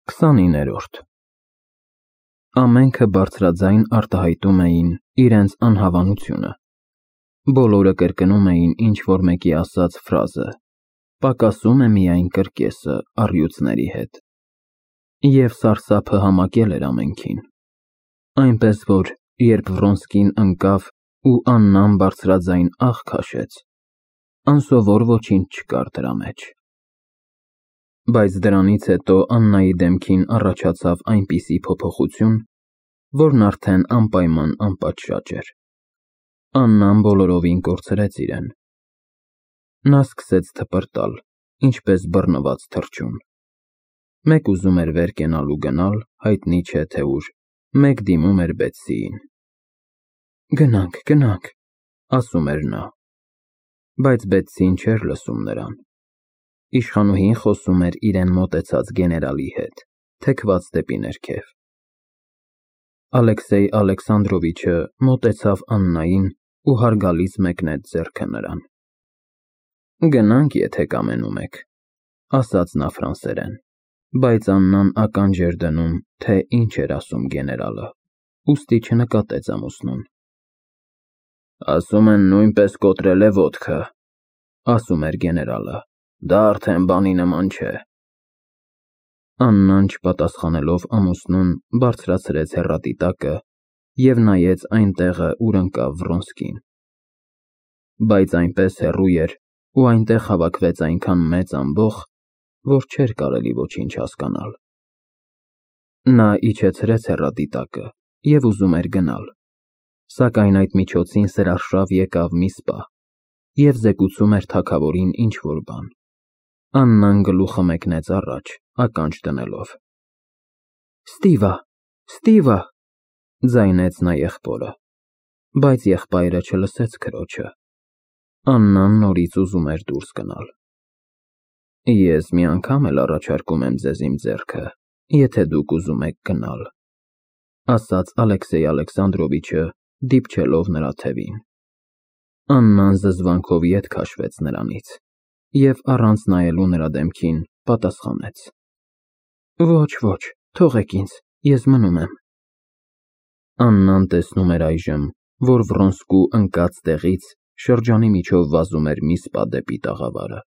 29-րդ Ամենքը բարձրաձայն արտահայտում էին իրենց անհավանությունը, բոլորը կրկնում էին ինչ-որ մեկի ասած ֆրազը, պակասում է միայն կրկեսը առյուծների հետ, և սարսափը համակել էր ամենքին, այնպես որ, երբ Վրոնսկին ընկավ ու Աննան բարձրաձայն ահ քաշեց, անսովոր ոչինչ չկար դրա մեջ, բայց դրանից հետո Աննայի դեմքին առաջացավ այնպիսի փոփոխություն, որն արդեն անպայման անպատշաճ էր, Աննան բոլորովին կորցրեց իրեն, նա սկսեց թպրտալ, ինչպես բռնված թռչուն, մեկ ուզում էր վեր կենալ ու գնալ, հայտնի չէ թե ուր, մեկ դիմում էր Բեթսիին, գնանք, ասում էր նա, բայց Բեթսին չէր լսում նրան, իշխանուհին խոսում էր իրեն մոտեցած գեներալի հետ, թեքված դեպի ներքև, Ալեքսեյ Ալեքսանդրովիչը մոտեցավ Աննային ու հարգալից մեկնեց ձեռքը նրան, գնանք, եթե կամենում եք, ասաց նա ֆրանսերեն, բայց Աննան ականջ էր դնում, թե ինչ էր ասում գեներալը, ուստի չնկատեց ամուսնուն, ասում են նույնպես կոտրել է ոտքը, ասում էր գեներալը, դա արդեն բանի նման չէ, Աննան չպատասխանելով ամուսնուն բարձրացրեց հեռատիտակը և նայեց այն տեղը, ուր ընկավ Վրոնսկին, բայց այնպես հեռու էր ու այնտեղ հավաքվեց այնքան մեծ ամբոխ, որ չէր կարելի ոչինչ հասկանալ, նա իջեցրեց հեռատիտակը և ուզում էր գնալ, սակայն այդ միջոցին սրարշավ եկավ մի սպա և զեկուցում էր թագավորին ինչ-որ բան, Աննան գլուխը մեկնեց առաջ, ականջ դնելով, Ստիվա, ձայնեց նա եղբորը, բայց եղբայրը չլսեց քրոջը, Աննան նորից ուզում էր դուրս գնալ, ես մի անգամ էլ առաջարկում եմ ձեզ իմ ձեռքը, եթե դուք ուզում եք գնալ, ասաց Ալեքսեյ Ալեքսանդրովիչը, դիպչելով նրա թևին, Աննան զզվանքով ետ քաշվեց նրանից և առանց նայելու նրա դեմքին պատասխանեց, ոչ, թողեք ինձ, ես մնում եմ, Աննան տեսնում էր այժմ, որ Վրոնսկու ընկած տեղից շրջանի միջով վազում էր մի սպա դեպի տաղավարը,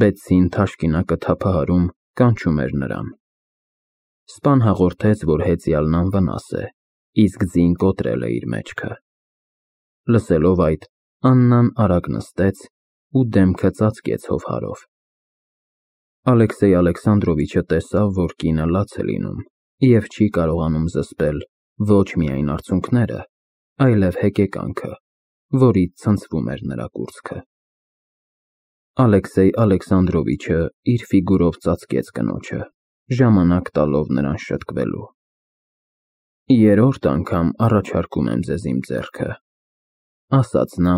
Բեթսին թաշկինակը թափահարում, կանչում էր նրան, սպան հաղորդեց, որ հեծյալն անվնաս է, իսկ ձին կոտրել է իր մեջքը, լսելով այդ, Աննան արագ նստեց ու դեմքը ծածկեց հովհարով, Ալեքսեյ Ալեքսանդրովիչը տեսավ, որ կինը լաց է լինում և չի կարողանում զսպել ոչ միայն արցունքները, այլև հեկեկանքը, որից ցնցվում էր նրա կուրծքը, Ալեքսեյ Ալեքսանդրովիչը իր ֆիգուրով ծածկեց կնոջը, ժամանակ տալով նրան շտկվելու, երրորդ անգամ առաջարկում եմ ձեզ իմ ձեռքը, ասաց նա,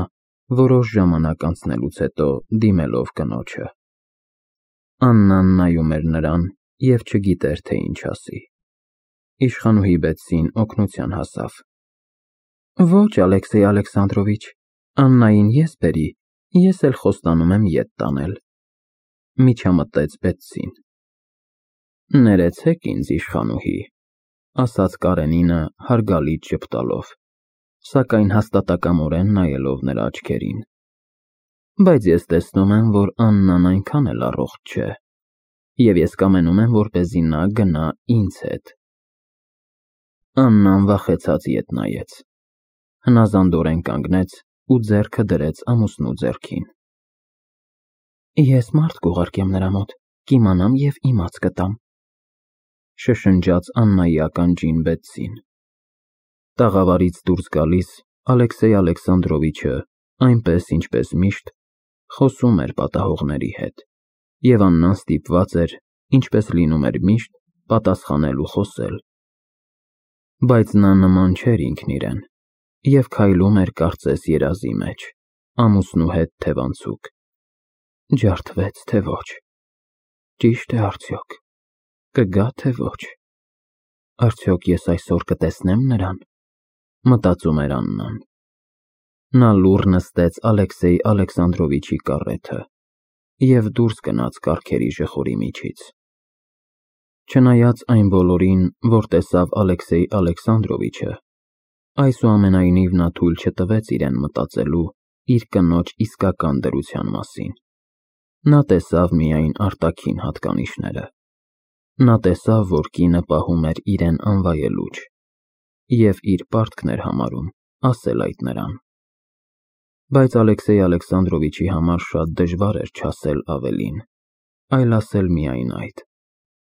որոշ ժամանակ անցնելուց հետո դիմելով կնոջը, Աննան նայում էր նրան և չգիտեր, թե ինչ ասի, իշխանուհի Բեթսին օգնության հասավ, ոչ Ալեքսեյ Ալեքսանդրովիչ, Աննային ես բերի, ես էլ խոստանում եմ ետ տանել, միջամտեց Բեթսին, ներեցեք ինձ իշխանուհի, ասաց Կարենինը հարգալից ժպտալով, սակայն հաստատակամորեն նայելով նրա աչքերին, բայց ես տեսնում եմ, որ Աննան այնքան էլ առողջ չէ, և ես կամենում եմ, որպեսզի նա գնա ինձ հետ, Աննան վախեցած ետ նայեց, հնազանդորեն կանգնեց ու ձեռքը դրեց ամուսնու ձեռքին, ես մարդ կուղարկեմ նրա մոտ, կիմանամ և իմաց կտամ, շշնջաց Աննայի ականջին Բեթսին, տաղավարից դուրս գալիս Ալեքսեյ Ալեքսանդրովիչը, այնպես ինչպես միշտ, խոսում էր պատահողների հետ, և Աննան ստիպված էր, ինչպես լինում էր միշտ, պատասխանել ու խոսել, բայց նա նման չէր ինքն իրեն, և քայլում էր կարծես երազի մեջ, ամուսնու հետ թևանցուկ, ջարդվեց, թե ոչ, ճիշտ է արդյոք, կգա, թե ոչ, արդյոք ես այսօր կտեսնեմ նրան, մտածում էր Աննան, նա լուռ նստեց Ալեքսեյ Ալեքսանդրովիչի կառեթը և դուրս գնաց կառքերի ժխորի միջից, Չնայած այն բոլորին, որ տեսավ Ալեքսեյ Ալեքսանդրովիչը, այսուամենայնիվ նա թույլ չտվեց իրեն մտածելու իր կնոջ իսկական դրության մասին։ Նա տեսավ միայն արտաքին հատկանիշները։ Նա տեսավ, որ կինը պահում էր իրեն անվայելուչ, և իր պարտքն էր համարում ասել այդ նրան։ Բայց Ալեքսեյ Ալեքսանդրովիչի համար շատ դժվար էր չասել ավելին, այլ ասել միայն այդ։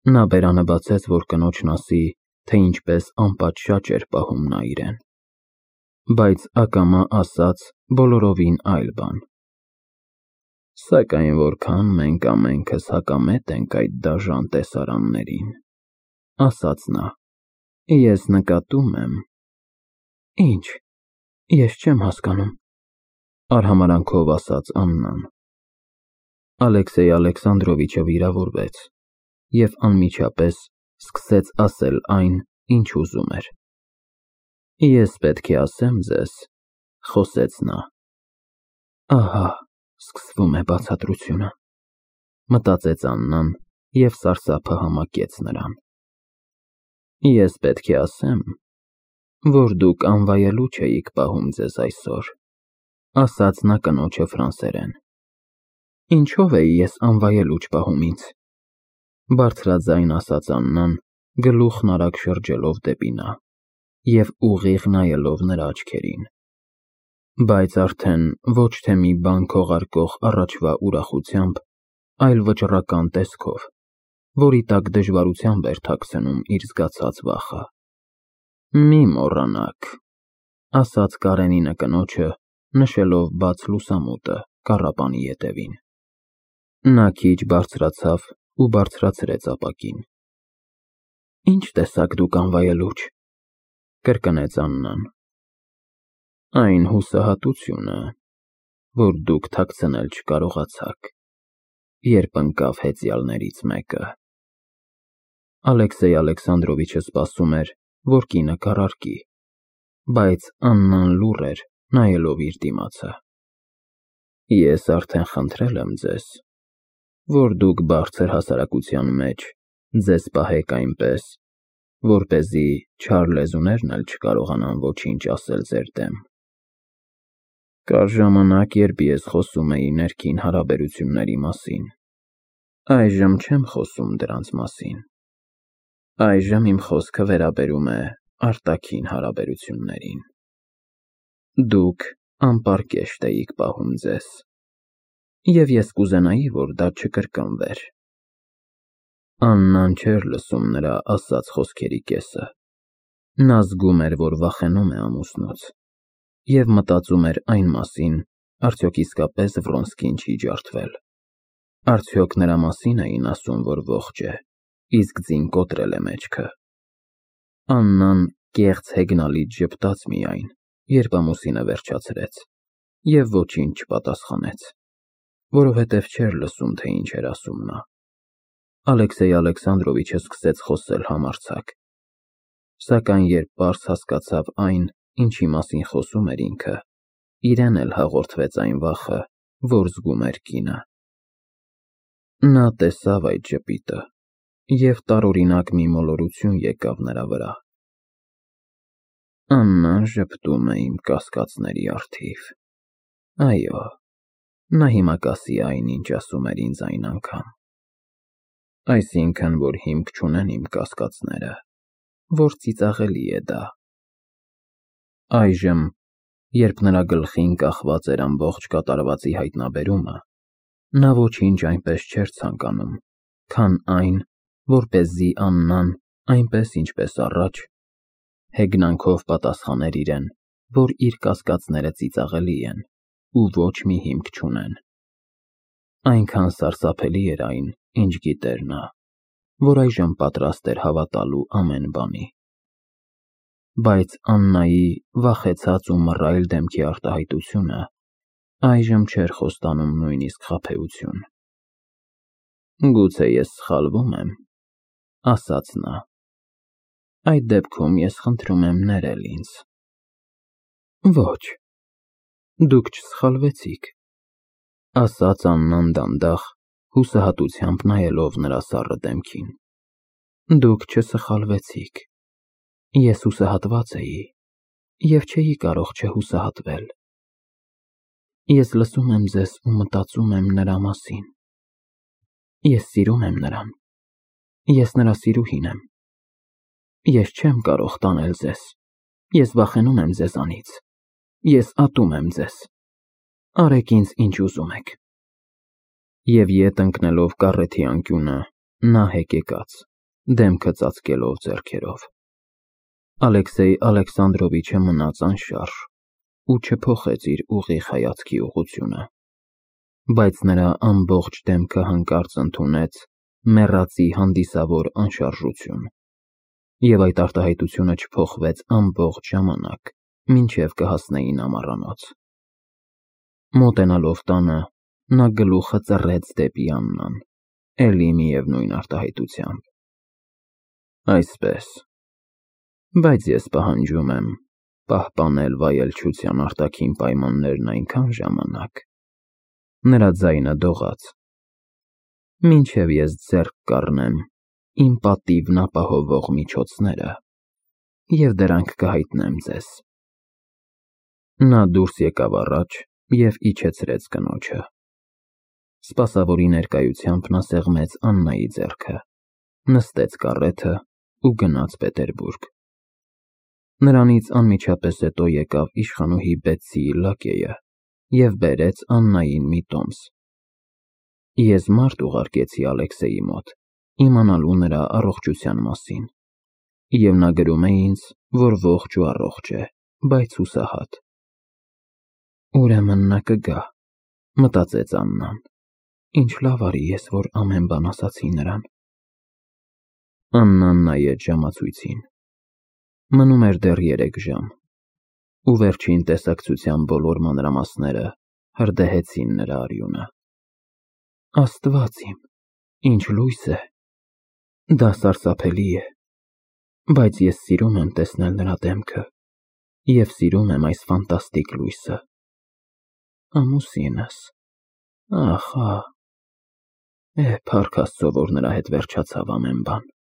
Նա բերանը բացեց, որ կնոջն ասի, թե ինչպես անպատշաճ էր պահում նա իրեն։ Բայց ակամա ասաց բոլորովին այլ բան։ Սակայն որքան մենք ամենքս հակամետ ենք այդ դաժան տեսարաններին, ասաց նա, ես նկատում եմ։ Ինչ, ես չեմ հասկանում, արհամարանքով ասաց Աննան։ Ալեքսեյ Ալեքսանդրովիչը վիրավորվեց և անմիջապես սկսեց ասել այն, ինչ ուզում էր։ Ես պետք է ասեմ ձեզ, խոսեց նա։ Ահա, սկսվում է բացատրությունը, մտածեց Աննան և սարսափը համակեց նրան։ Ես պետք է ասեմ, որ դուք անվայելուչ էիք պահում ձեզ այսօր, ասաց նա կնոջը ֆրանսերեն։ Ինչով էի ես անվայելուչ պահում ինձ, բարձրաձայն ասաց Աննան, գլուխն արագ շրջելով դեպի նա և ուղիղ նայելով նրա աչքերին, բայց արդեն ոչ թե մի բան քողարկող առաջվա ուրախությամբ, այլ վճռական տեսքով, որի տակ դժվարությամբ էր թաքցնում իր զգացած վախը։ Մի մոռանաք, ասաց Կարենինը կնոջը, նշելով բաց լուսամուտը կառապանի ետևին։ Նա քիչ բարձրացավ ու բարձրացրեց ապակին։ Ինչ տեսակ դուք անվայելուչ, կրկնեց Աննան։ Այն հուսահատությունը, որ դուք թաքցնել չկարողացաք, երբ ընկավ հեծյալներից մեկը։ Ալեքսեյ Ալեքսանդրովիչը սպասում էր, որ կինը կառարկի, բայց Աննան լուռ էր, նայելով իր դիմացը։ Ես արդեն խնդրել եմ ձեզ, որ դուք բարձր հասարակության մեջ ձեզ պահեք այնպես, որպեսզի չար լեզուներն էլ չկարողանան ոչինչ ասել ձեր դեմ։ Կար ժամանակ, երբ ես խոսում էի ներքին հարաբերությունների մասին, այժմ չեմ խոսում դրանց մասին։ Այժմ իմ խոսքը վերաբերում է արտաքին հարաբերություններին։ Դուք անպարկեշտ էիք պահում ձեզ, և ես կուզենայի, որ դա չկրկնվեր։ Աննան չէր լսում նրա ասած խոսքերի կեսը։ Նա զգում էր, որ վախենում է ամուսնուց, և մտածում էր այն մասին, արդյոք իսկապես Վրոնսկին չի ջարդվել։ Արդյոք նրա մասին էին ասում, որ ողջ է, իսկ ձին կոտրել է մեջքը։ Աննան կեղծ հեգնալից ժպտաց միայն, երբ ամուսինը վերջացրեց, և ոչինչ չպատասխանեց, որովհետև չէր լսում, թե ինչ էր ասում նա։ Ալեքսեյ Ալեքսանդրովիչը սկսեց խոսել համարձակ, սակայն երբ պարզ հասկացավ այն, ինչի մասին խոսում էր ինքը, իրեն էլ հաղորդվեց այն վախը, որ զգում էր կինը։ Նա տեսավ այդ ժպիտը, և տարօրինակ մի մոլորություն եկավ նրա վրա։ Աննան ժպտում է իմ կասկածների առթիվ։ Այո, նա հիմա կասի այն, ինչ ասում էր ինձ այն անգամ։ Այսինքն, որ հիմք չունեն իմ կասկածները, որ ծիծաղելի է դա։ Այժմ, երբ նրա գլխին կախված էր ամբողջ կատարվածի հայտնաբերումը, նա ոչինչ այնպես չէր ցանկանում, քան այն, որպեսզի Աննան, այնպես ինչպես առաջ, հեգնանքով պատասխաներ իրեն, որ իր կասկածները ծիծաղելի են ու ոչ մի հիմք չունեն։ Այնքան սարսափելի էր այն, ինչ գիտեր նա, որ այժմ պատրաստ էր հավատալու ամեն բանի։ Բայց Աննայի վախեցած ու մռայլ դեմքի արտահայտությունը այժմ չէր խոստանում նույնիսկ խաբեություն։ Գուցե ես սխալվում եմ, ասաց նա։ Այդ դեպքում ես խնդրում եմ ներել ինձ։ Ոչ, դուք չսխալվեցիք, ասաց Աննան դանդաղ, հուսահատությամբ նայելով նրա սառը դեմքին։ Դուք չսխալվեցիք։ Ես հուսահատված էի և չէի կարող չհուսահատվել։ Ես լսում եմ ձեզ ու մտածում եմ նրա մասին։ Ես սիրում եմ նրան։ Ես նրա սիրուհին եմ։ Ես չեմ կարող տանել ձեզ։ Ես վախենում եմ ձեզանից։ Ես ատում եմ ձեզ։ Արեք ինձ ինչ ուզում եք։ Եվ ետ ընկնելով կառեթի անկյունը, նա հեկեկաց, դեմքը ծածկելով ձեռքերով։ Ալեքսեյ Ալեքսանդրովիչը մնաց անշարժ ու չփոխեց իր ուղիղ հայացքի ուղղությունը, բայց նրա ամբողջ դեմքը հանկարծ ընդունեց մեռածի հանդիսավոր անշարժություն, և այդ արտահայտությունը չփոխվեց ամբողջ ժամանակ, մինչև կհասնեին ամառանոց։ Մոտենալով տանը, նա գլուխը ծռեց դեպի Աննան, էլի միևնույն արտահայտությամբ։ Այսպես, բայց ես պահանջում եմ պահպանել վայելչության արտաքին պայմաններն այնքան ժամանակ, նրա ձայնը դողաց, մինչև ես ձեռք կառնեմ իմ պատիվն ապահովող միջոցները և դրանք կհայտնեմ ձեզ։ Նա դուրս եկավ առաջ և իջեցրեց կնոջը։ Սպասավորի ներկայությամբ նա սեղմեց Աննայի ձեռքը, նստեց կառեթը ու գնաց Պետերբուրգ։ Նրանից անմիջապես հետո եկավ իշխանուհի Բեցսիի լակեյը և բերեց Աննային մի տոմս։ Ես մարդ ուղարկեցի Ալեքսեյի մոտ, իմանալու նրա առողջության մասին, և նա գրում է ինձ, որ ողջ ու առողջ է, բայց հուսահատ։ Ուրեմն նա կգա, մտածեց Աննան, ինչ լավ արի ես, որ ամեն բան ասացի նրան։ Աննան նայեց ժամացույցին։ Մնում էր դեռ 3 ժամ, ու վերջին տեսակցության բոլոր մանրամասները հրդեհեցին նրա արյունը։ Աստված իմ, ինչ լույս է։ Դա սարսափելի է, բայց ես սիրում եմ տեսնել նրա դեմքը և սիրում եմ այս ֆանտաստիկ լույսը։ Ամուսինս, ախ, փառք Աստծո, որ նրա հետ վերջացավ ամեն բան։